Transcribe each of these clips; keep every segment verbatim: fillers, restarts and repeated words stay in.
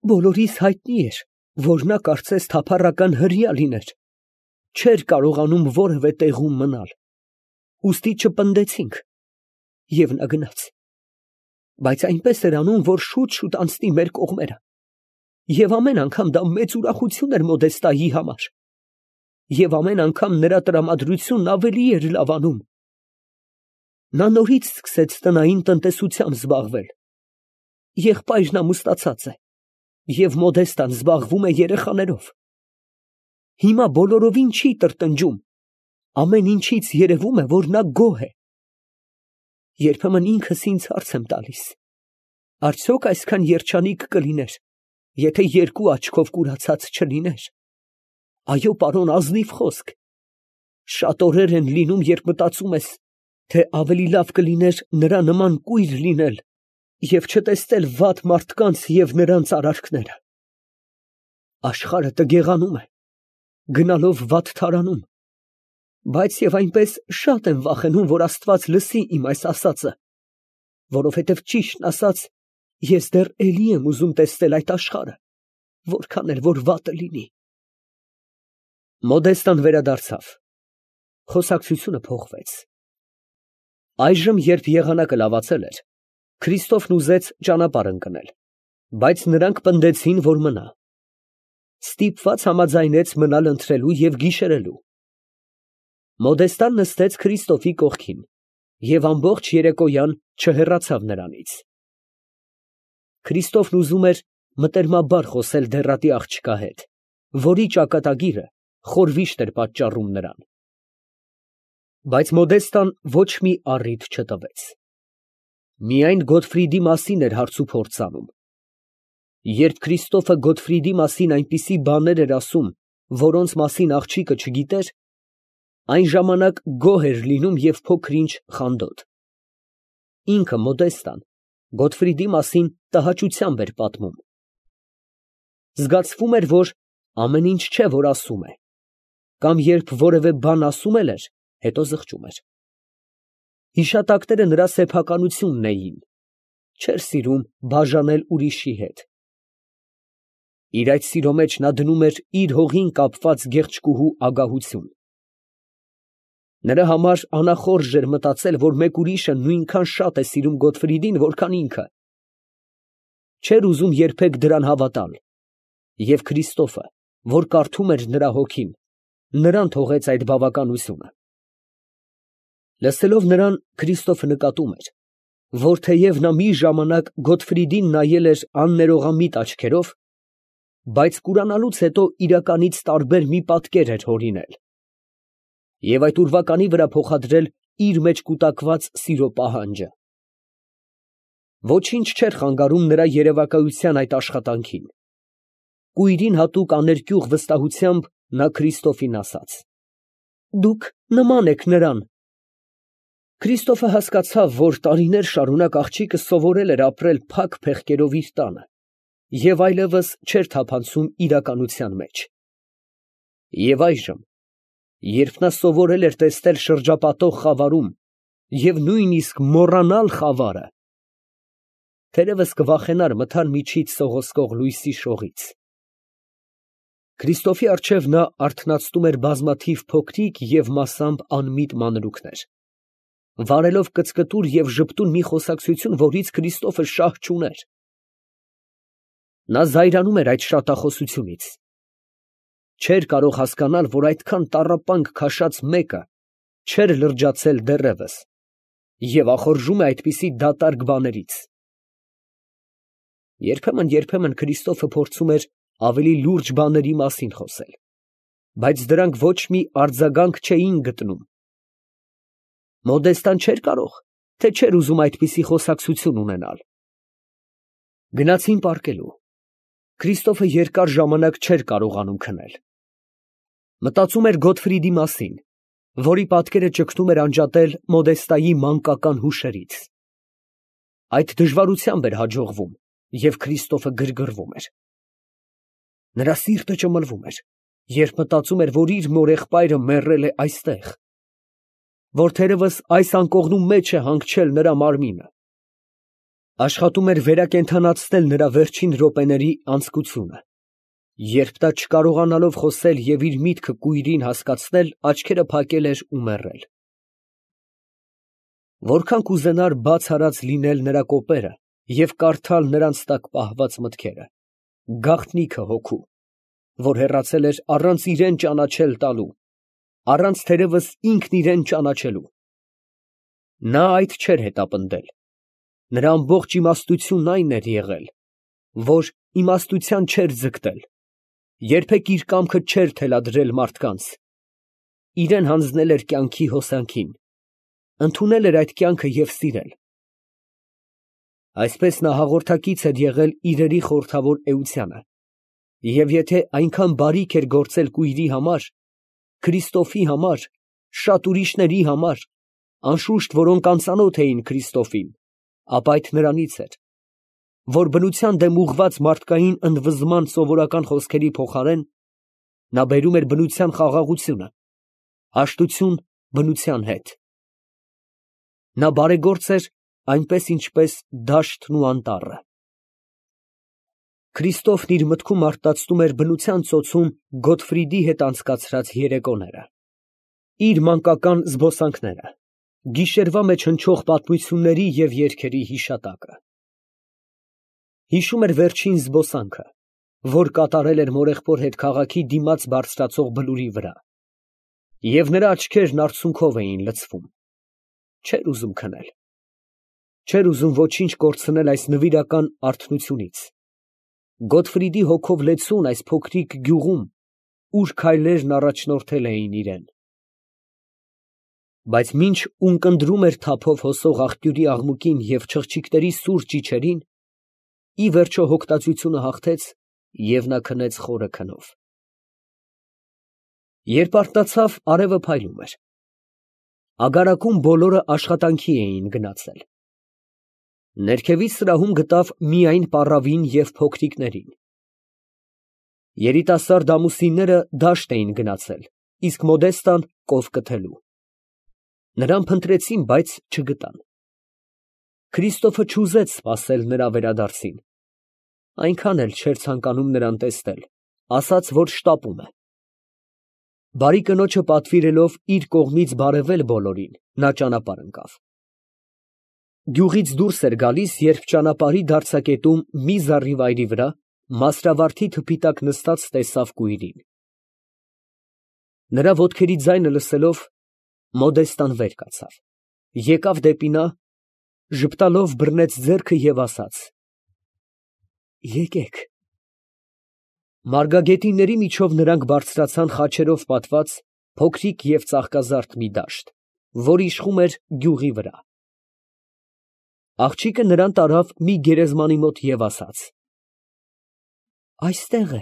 Բոլորիս հայտնի էր, որ նա կարծես թափառական հրեա լիներ, չէր կարողանում որևէ տեղում մնալ, ուստի չպնդեցինք, և նա գնաց, բայց այնպես էր անում, որ շուտ֊շուտ անցնի մեր կողմերը, և ամեն անգամ դա մեծ ուրախություն էր Մոդեստայի համար, և ամեն անգամ նրա տրամադրությունն ավելի էր լավանում. նա նորից սկսեց տնային տնտեսությամբ զբաղվել, եղբայրն ամուսնացած է, և Մոդեստան զբաղվում է երեխաներով, հիմա բոլորովին չի տրտնջում, ամեն ինչից երևում է, որ նա գոհ է, երբեմն ինքս ինձ հարց եմ տալիս. արդյոք այսքան երջանիկ կլիներ, եթե երկու աչքով կուրացած չլիներ. այո, պարոն, ազնիվ խոսք, շատ օրեր են լինում, երբ մտածում ես, թե ավելի լավ կլիներ նրա նման կույր լինել և չտեսնել վատ մարդկանց և նրանց արարքները. աշխարհը տգեղանում է, գնալով վատթարանում, բայց և այնպես շատ եմ վախենում, որ Աստված լսի իմ այս ասածը, որովհետև ճիշտն ասած, ես դեռ էլի եմ ուզում տեսնել այդ աշխարհը, որքան էլ որ վատը լինի։ Մոդեստան վերադարձավ, խոսակցությունը փոխվեց։ Այժմ, երբ եղանակը լավացել էր, Քրիստոֆն ուզեց ճանապարհ ընկնել, բայց նրանք պնդեցին, որ մնա։ Ստիպված համաձայնեց մնալ ընթրելու և գիշերելու։ Մոդեստան նստեց Քրիստոֆի կողքին և ամբողջ երեկոյան չհեռացավ նրանից։ Քրիստոֆն ուզում էր մտերմաբար խոսել դեռատի աղջկա հետ, որի ճակատագիրը խորհվիշտ էր պատճառում նրան։ Բայց Մոդեստան ոչ մի առիթ չտվեց։ Միայն Գոտֆրիդի մասին էր հարցուփորձ անում։ Երբ Քրիստոֆը Գոտֆրիդի մասին այնպիսի բաներ էր ասում, որոնց մասին աղջիկը չգիտեր, այն ժամանակ գոհ էր լինում և փոքր֊ինչ խանդոտ։ Ինքը Մոդեստան Գոտֆրիդի մասին տհաճությամբ էր պատմում։ Զգացվում էր, որ ամեն ինչ չէ, որ ասում է, կամ երբ որևէ բան ասում էլ էր, հետո զղջում էր։ Հիշատակները նրա սեփականությունն էին, չէր սիրում բաժանել ուրիշի հետ։ Իր այդ սիրո մեջ նա դնում էր իր հողին կապված գեղեցկուհու ագահություն։ Նրա համար անախորժ էր մտածել, որ մեկ ուրիշը նույնքան շատ է սիրում Գոտֆրիդին, որքան ինքը։ Չէր ուզում երբեք դրան հավատալ, և Քրիստոֆը, որ կարդում էր նրա հոգին, նրան թողեց այդ բավականությունը։ Լսելով նրան, Քրիստոֆը նկատում էր, որ թեև նա մի ժամանակ Գոտֆրիդին նայել էր աններողամիտ աչքերով, բայց կուրանալուց հետո իրականից տարբեր մի պատկեր էր հորինել և այդ ուրվականի վրա փոխադրել իր մեջ կուտակված սիրո պահանջը։ Ոչինչ չէր խանգարում նրա երևակայության այդ աշխատանքին։ Կույրին հատուկ աներկյուղ վստահությամբ նա Քրիստոֆին ասաց. «Դուք նման եք նրան»։ Քրիստոֆը հասկացավ, որ տարիներ շարունակ աղջիկը սովորել էր ապրել փակ փեղկերով իր տանը և այլևս չէր թափանցում իրականության մեջ։ Եվ այժմ, երբ նա սովորել էր տեսնել շրջապատող խավարում և նույնիսկ մոռանալ խավարը, թերևս կվախենար մթար միջից սողոսկող լույսի շողից։ Քրիստոֆի առջև նա արթնացնում էր բազմաթիվ փոքրիկ և մասամբ անմիտ մանրուքներ, վարելով կծկտուր և ժպտուն մի խոսակցություն, որից Քրիստոֆը շահ չուներ։ Նա զայրանում էր այդ շատախոսությունից։ Չէր կարող հասկանալ, որ այդքան տառապանք քաշած մեկը չէր լրջացել դեռևս և ախորժում է այդպիսի դատարկ բաներից։ Երբեմն֊երբեմն Քրիստոֆը փորձում էր ավելի լուրջ բաների մասին խոսել, բայց դրանք ոչ մի արձագանք չէին գտնում։ Մոդեստան չէր կարող, թե չէր ուզում այդպիսի խոսակցություն ունենալ։ Գնացին պառկելու։ Քրիստոֆը երկար ժամանակ չէր կարողանում քնել։ Մտածում էր Գոտֆրիդի մասին, որի պատկերը ճգնում էր անջատել Մոդեստայի մանկական հուշերից։ Այդ դժվարությամբ էր հաջողվում, և Քրիստոֆը գրգռվում էր։ Նրա սիրտը ճմլվում էր, երբ մտածում էր, որ իր մորեղբայրը մեռել է այստեղ, որ թերևս այս անկողնու մեջ է հանգչել նրա մարմինը։ Աշխատում էր վերակենդանացնել նրա վերջին րոպեների անձկությունը, երբ նա չկարողանալով խոսել և իր միտքը կույրին հասկացնել, աչքերը փակել էր ու մեռել։ Որքան կուզենար բաց արած լինել նրա կոպերը և կարդալ նրանց տակ պահված մտքերը, գաղտնիքը հոգու, որ հեռացել էր առանց իրան ճանաչել տալու, առանց թերևս ինքն իրան ճանաչելու, նա այդ չէր հետապնդել, նրա ամբողջ իմաստությունն այն էր եղել, որ իմաստության չէր ձգտել, երբեք իր կամքը չէր թելադրել մարդկանց, իրան հանձնել էր կյանքի հոսանքին, ընդունել էր այդ կյանքը և սիրել։ Այսպես նա հաղորդակից էր եղել իրերի խորհրդավոր էությանը, և եթե այնքան բարիք էր գործել կույրի համար, Քրիստոֆի համար, շատ ուրիշների համար, անշուշտ, որոնք անծանոթ էին Քրիստոֆին, ապա այդ նրանից էր, որ բնության դեմ ուղղված մարդկային ընդվզման սովորական խոսքերի փոխարեն, նա բերում էր բնության խաղաղությունը, հաշտություն բնության հետ։ Նա բարեգործ էր այնպես, ինչպես դաշտն ու անտառը։ Քրիստոֆն իր մտքում արտացնում էր բնության ծոցում Գոտֆրիդի հետ անցկացրած երեկոները, իր մանկական զբոսանքները, գիշերվա մեջ հնչող պատմությունների և երգերի հիշատակը։ Հիշում էր վերջին զբոսանքը, որ կատարել էր մորեղբոր հետ քաղաքի դիմաց բարձրացող բլուրի վրա, և նրա աչքերն արցունքով էին լցվում, չէր ուզում քնել, չէր ուզում ոչինչ կորցնել այս նվիրական արթնությունից, Գոտֆրիդի հոգով լեցուն այս փոքրիկ գյուղում, ուր քայլերն առաջնորդել էին իրան։ Բայց մինչ ունկնդրում էր թափով հոսող աղբյուրի աղմուկին և չղջիկների սուր ճիչերին, ի վերջո հոգտածությունը հաղթեց, և նա քնեց խորը քնով։ Երբ արթնացավ, արևը փայլում էր։ Ագարակում բոլորը աշխատանքի էին գնացել։ Ներքևից սրահում գտավ միայն պառավին և փոքրիկներին։ Երիտասարդ ամուսինները դաշտ էին գնացել, իսկ Մոդեստան կով կթելու։ Նրան փնտրեցին, բայց չգտան։ Քրիստոֆը չուզեց սպասել նրա վերադարձին, այնքան էլ չէր ցանկանում նրան տեսնել, ասաց, որ շտապում է։ Բարի կնոջը պատվիրելով իր կողմից բարևել բոլորին, նա ճանապարհ ընկավ։ Գյուղից դուրս էր գալիս, երբ ճանապարհի դարձակետում մի զառիվայրի վրա մասրավարդի թփի տակ նստած տեսավ կույրին։ Նրա ոտքերի ձայնը լսելով, Մոդեստան վեր կացավ, եկավ դեպի նա, ժպտալով բռնեց ձեռքը և ասաց. «Եկեք»։ Մարգագետինների միջով նրանք բարձրացան խաչերով պատված փոքրիկ և ծաղկազարդ մի դաշտ, որ իշխում էր գյուղի վրա։ Աղջիկը նրան տարավ մի գերեզմանի մոտ և ասաց. «Այստեղ է»։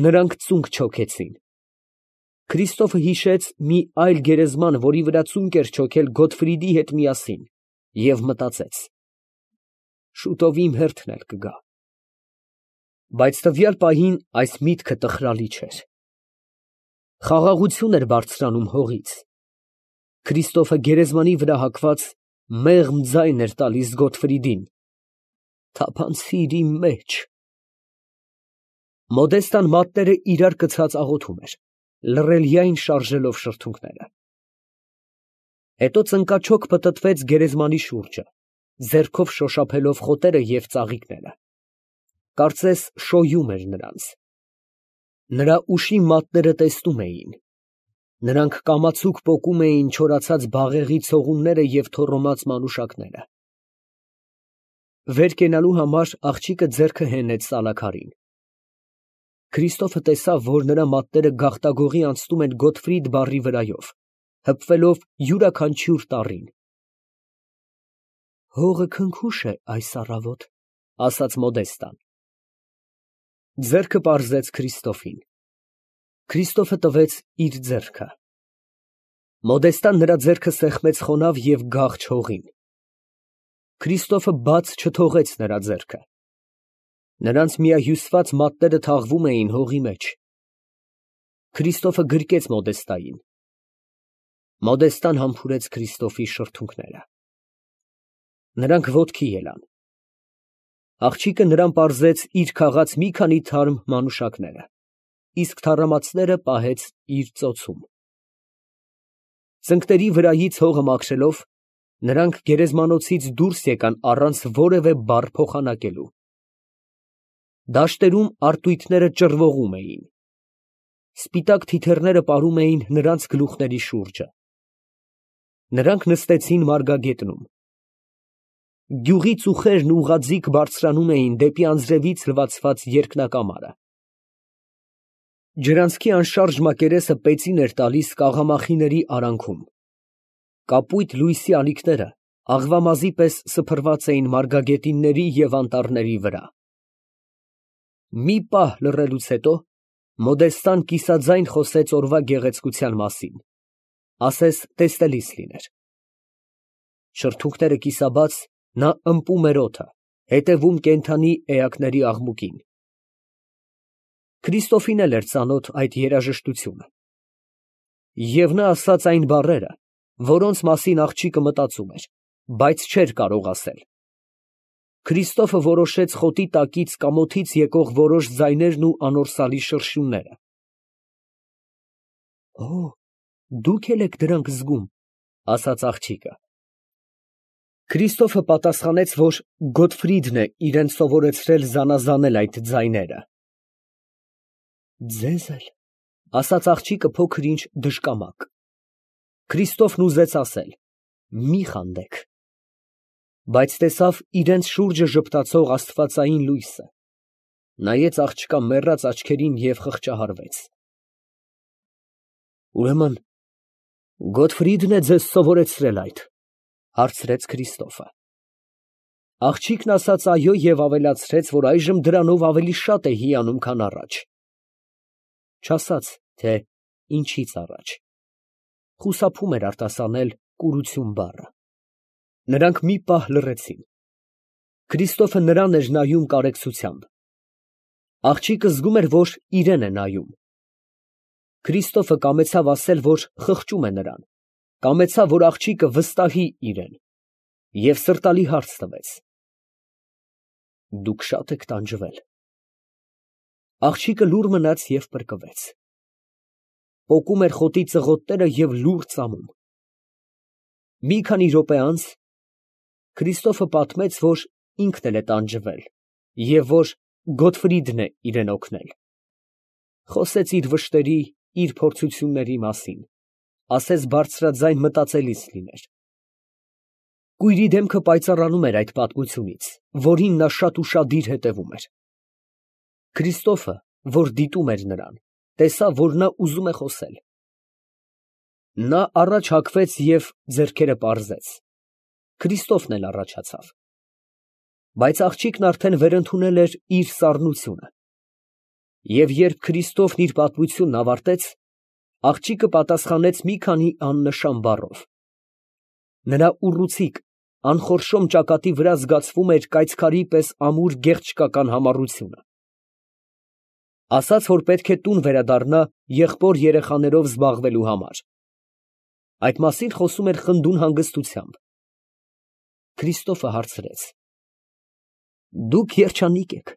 Նրանք ծունկ չոքեցին։ Քրիստոֆը հիշեց մի այլ գերեզման, որի վրա ծունկ էր չոքել Գոտֆրիդի հետ միասին, և մտածեց. շուտով իմ հերթն էլ կգա։ Բայց տվյալ պահին այս միտքը տխրալի չէր։ Խաղաղություն էր բարձրանում հողից։ Քրիստոֆը գերեզմանի վրա հագված մեղմ ձայն էր տալիս Գոտֆրիդին. «Թափանցիր իմ մեջ»։ Մոդեստան մատները իրար կցած աղոթում էր, լռելիայն շարժելով շրթունքները։ Հետո ծնկաչոք պտտվեց գերեզմանի շուրջը, ձեռքով շոշափելով խոտերը և ծաղիկները, կարծես շոյում էր նրանց։ Նրա ուշի մատները տեսնում էին, նրանք կամացուկ պոկում էին չորացած բաղեղի ցողունները և թոռոմած մանուշակները։ Վեր կենալու համար աղջիկը ձեռքը հենեց սալաքարին։ Քրիստոֆը տեսավ, որ նրա մատները գաղտագողի անցնում են Գոտֆրիդ բառի վրայով, հպվելով յուրաքանչյուր տառին։ «Հողը քնքուշ է այս առավոտ», ֊ ասաց Մոդեստան։ Ձեռքը պարզեց Քրիստոֆին։ Քրիստոֆը տվեց իր ձեռքը։ Մոդեստան նրա ձեռքը սեղմեց խոնավ և գաղջ հողին։ Քրիստոֆը բաց չթողեց նրա ձեռքը։ Նրանց միահյուսված մատները թաղվում էին հողի մեջ։ Քրիստոֆը գրկեց Մոդեստային։ Մոդեստան համբուրեց Քրիստոֆի շրթունքները։ Նրանք ոտքի ելան։ Աղջիկը նրան պարզեց իր քաղած մի քանի թարմ մանուշակները, իսկ թառամածները պահեց իր ծոցում։ Ծնկների վրայից հողը մաքրելով, նրանք գերեզմանոցից դուրս եկան առանց որևէ բառ փոխանակելու։ Դաշտերում արտույտները ճռվողում էին։ Սպիտակ թիթեռները պարում էին նրանց գլուխների շուրջը։ Նրանք նստեցին մարգագետնում։ Գյուղի ծուխերն ուղղաձիգ բարձրանում էին դեպի անձրևից լվացված երկնակամարը։ Ջրանցքի անշարժ մակերեսը պեցին էր տալիս կաղամախիների արանքում։ Կապույտ լույսի ալիքները աղվամազի պես սփռված էին մարգագետինների և անտառների վրա։ Մի պահ լռելուց հետո Մոդեստան կիսաձայն խոսեց օրվա գեղեցկության մասին, ասես տեսնելիս լիներ։ Շրթունքները կիսաբաց, նա ըմպում էր օդը, հետևում կենդանի էակների աղմուկին։ Քրիստոֆին էլ էր ծանոթ այդ երաժշտությունը։ Եվ նա ասաց այն բառերը, որոնց մասին աղջիկը մտածում էր, բայց չէր կարող ասել։ Քրիստոֆը որոշեց խոտի տակից կամոթից եկող որոշ ձայներն ու անորսալի շրշյունները։ ֊ Օ, դուք էլ եք դրանք զգում, ֊ ասաց աղջիկը։ Քրիստոֆը պատասխանեց, որ Գոտֆրիդն է իրան սովորեցրել զանազանել այդ ձայները։ ֊ Ձեզ էլ, ֊ ասաց աղջիկը փոքր֊ինչ դժկամակ։ Քրիստոֆն ուզեց ասել. մի խանդեք, բայց տեսավ իրենց շուրջը ժպտացող աստվածային լույսը, նայեց աղջկա մեռած աչքերին և խղճահարվեց։ ֊ Ուրեմն Գոտֆրիդն է ձեզ սովորեցրել այդ, ֊ հարցրեց Քրիստոֆը։ Աղջիկն ասաց այո և ավելացրեց, որ այժմ դրանով ավելի շատ է հիանում, քան առաջ։ Չասաց, թե ինչից առաջ. խուսափում էր արտասանել կուրություն բառը։ Նրանք մի պահ լռեցին։ Քրիստոֆը նրան էր նայում կարեկցությամբ։ Աղջիկը զգում էր, որ իրան է նայում։ Քրիստոֆը կամեցավ ասել, որ խղճում է նրան, կամեցավ, որ աղջիկը վստահի իրան, և սրտալի հարց տվեց. դուք շա՞տ եք տանջվել։ Աղջիկը լուռ մնաց և պրկվեց։ Պոկում էր խոտի ծղոտները և լուռ ծամում։ Մի քանի րոպե անց Քրիստոֆը պատմեց, որ ինքն էլ է տանջվել և որ Գոտֆրիդն է իրան օգնել։ Խոսեց իր վշտերի, իր փորձությունների մասին, ասես բարձրաձայն մտածելիս լիներ։ Կույրի դեմքը պայծառանում էր այդ պատմությունից, որին նա շատ ուշադիր հետևում էր։ Քրիստոֆը, որ դիտում էր նրան, տեսավ, որ նա ուզում է խոսել։ Նա առաջ հագվեց և ձեռքերը պարզեց։ Քրիստոֆն էլ առաջացավ։ Բայց աղջիկն արդեն վերընդունել էր իր սառնությունը։ Եվ երբ Քրիստոֆն իր պատմությունն ավարտեց, աղջիկը պատասխանեց մի քանի աննշան բառով։ Նրա ուռուցիկ, անխորշոմ ճակատի վրա զգացվում էր կայծքարի պես ամուր գեղչկական համառությունը։ Ասաց, որ պետք է տուն վերադառնա եղբոր երեխաներով զբաղվելու համար։ Այդ մասին խոսում էր խնդուն հանգստությամբ։ Քրիստոֆը հարցրեց. դուք երջանիկ եք։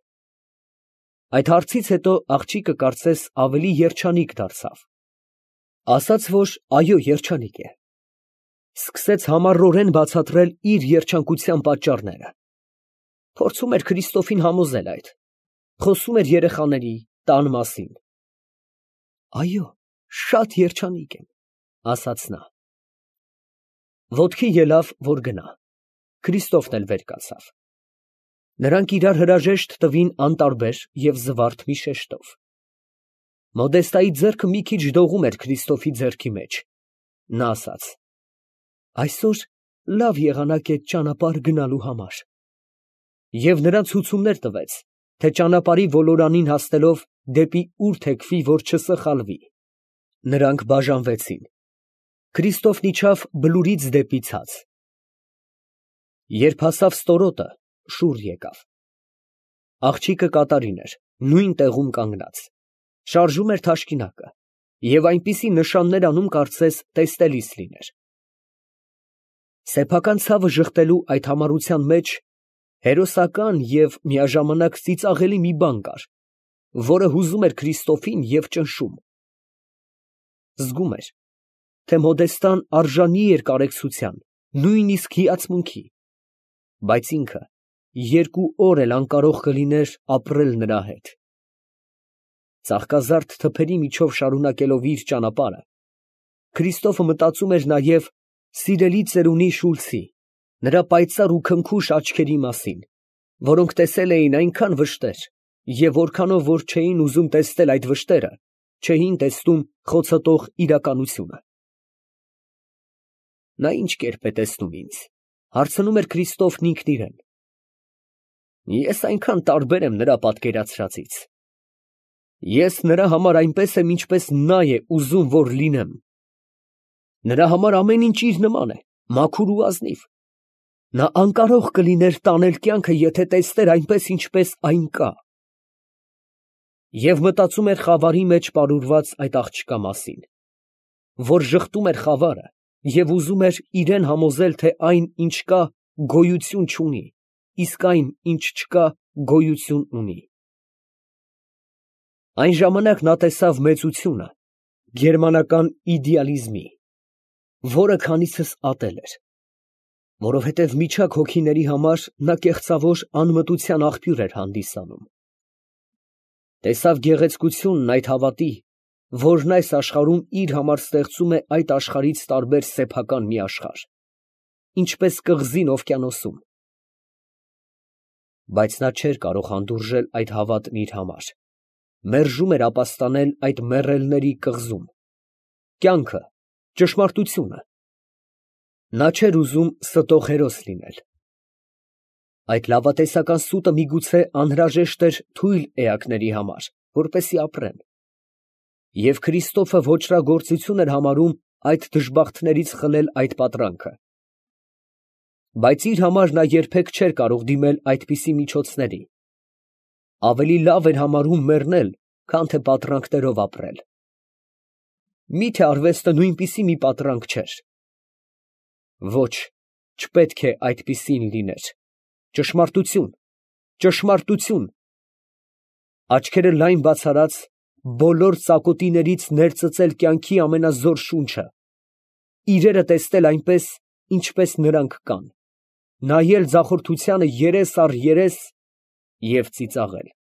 Այդ հարցից հետո աղջիկը կարծես ավելի երջանիկ դարձավ։ Ասաց, որ այո, երջանիկ է։ Սկսեց համառորեն բացատրել իր երջանկության պատճառները։ Փորձում էր Քրիստոֆին համոզել այդ։ Խոսում էր երեխաների, տան մասին։ Այո, շատ երջանիկ եմ, ասաց նա։ Ոտքի ելավ, որ գնա։ Քրիստոֆն էլ վեր կացավ։ Նրանք իրար հրաժեշտ տվին անտարբեր և զվարթ մի շեշտով։ Մոդեստայի ձեռքը մի քիչ դողում էր Քրիստոֆի ձեռքի մեջ։ Նա ասաց. այսօր լավ եղանակ է ճանապարհ գնալու համար։ Եվ նրան ցուցումներ տվեց, թե ճանապարհի ոլորանին հասնելով դեպի ուր թեքվի, որ չսխալվի։ Նրանք բաժանվեցին։ Քրիստոֆն իջավ բլուրից դեպի ցած։ Երբ հասավ ստորոտը, շուռ եկավ։ Աղջիկը կատարին էր, նույն տեղում կանգնած, շարժում էր թաշկինակը և այնպիսի նշաններ անում, կարծես տեսնելիս լիներ։ Սեփական ցավը ժխտելու այդ համառության մեջ հերոսական և միաժամանակ ծիծաղելի մի բան կար, որը հուզում էր Քրիստոֆին և ճնշում. զգում էր, թե Մոդեստան արժանի էր կարեկցության, նույնիսկ հիացմունքի, բայց ինքը երկու օր էլ անկարող կլիներ ապրել նրա հետ։ Ծաղկազարդ թփերի միջով շարունակելով իր ճանապարհը, Քրիստոֆը մտածում էր նաև սիրելի ծերունի Շուլցի, նրա պայծառ ու քնքուշ աչքերի մասին, որոնք տեսել էին այնքան վշտեր, և որքանով որ չէին ուզում տեսնել այդ վշտերը, չէին տեսնում խոցոտող իրականությունը։ Նա ի՞նչ կերպ է տեսնում ինձ, հարցնում էր Քրիստոֆն ինքն իրեն։ Ես այնքան տարբեր եմ նրա պատկերացրածից։ Ես նրա համար այնպես եմ, ինչպես նա է ուզում, որ լինեմ։ Նրա համար ամեն ինչ իր նման է, մաքուր ու ազնիվ։ Նա անկարող կլիներ տանել կյանքը, եթե տեսներ այնպես, ինչպես այն կա։ Եվ մտածում էր խավարի մեջ պարուրված այդ աղջկա մասին, որ ժխտում էր խավարը և ուզում էր իրան համոզել, թե այն, ինչ կա, գոյություն չունի, իսկ այն, ինչ չկա, գոյություն ունի։ Այն ժամանակ նա տեսավ մեծությունը գերմանական իդեալիզմի, որը քանիցս ատել էր, որովհետև միջակ հոգիների համար նա կեղծավոր անմտության աղբյուր էր հանդիսանում։ Տեսավ գեղեցկությունն այդ հավատի, որն այս աշխարհում իր համար ստեղծում է այդ աշխարհից տարբեր սեփական մի աշխարհ, ինչպես կղզին օվկիանոսում։ Բայց նա չէր կարող հանդուրժել այդ հավատն իր համար, մերժում էր ապաստանել այդ մեռելների կղզում, կյանքը, ճշմարտությունը։ Նա չէր ուզում ստող հերոս լինել։ Այդ լավատեսական սուտը միգուցե անհրաժեշտ էր թույլ էակների համար, որպեսզի ապրեն։ Եվ Քրիստոֆը ոճրագործություն էր համարում այդ դժբախտներից խլել այդ պատրանքը։ Բայց իր համար նա երբեք չէր կարող դիմել այդպիսի միջոցների։ Ավելի լավ էր համարում մեռնել, քան թե պատրանքներով ապրել։ Մի՞թե արվեստը նույնպիսի մի պատրանք չէր։ Ոչ, չպետք է այդպիսին լիներ։ Ճշմարտություն, ճշմարտություն։ Աչքերը լայն բաց արած, բոլոր ծակոտիներից ներծծել կյանքի ամենազոր շունչը, իրերը տեսնել այնպես, ինչպես նրանք կան, նայել ձախորդությանը երես առ երես և ծիծաղել։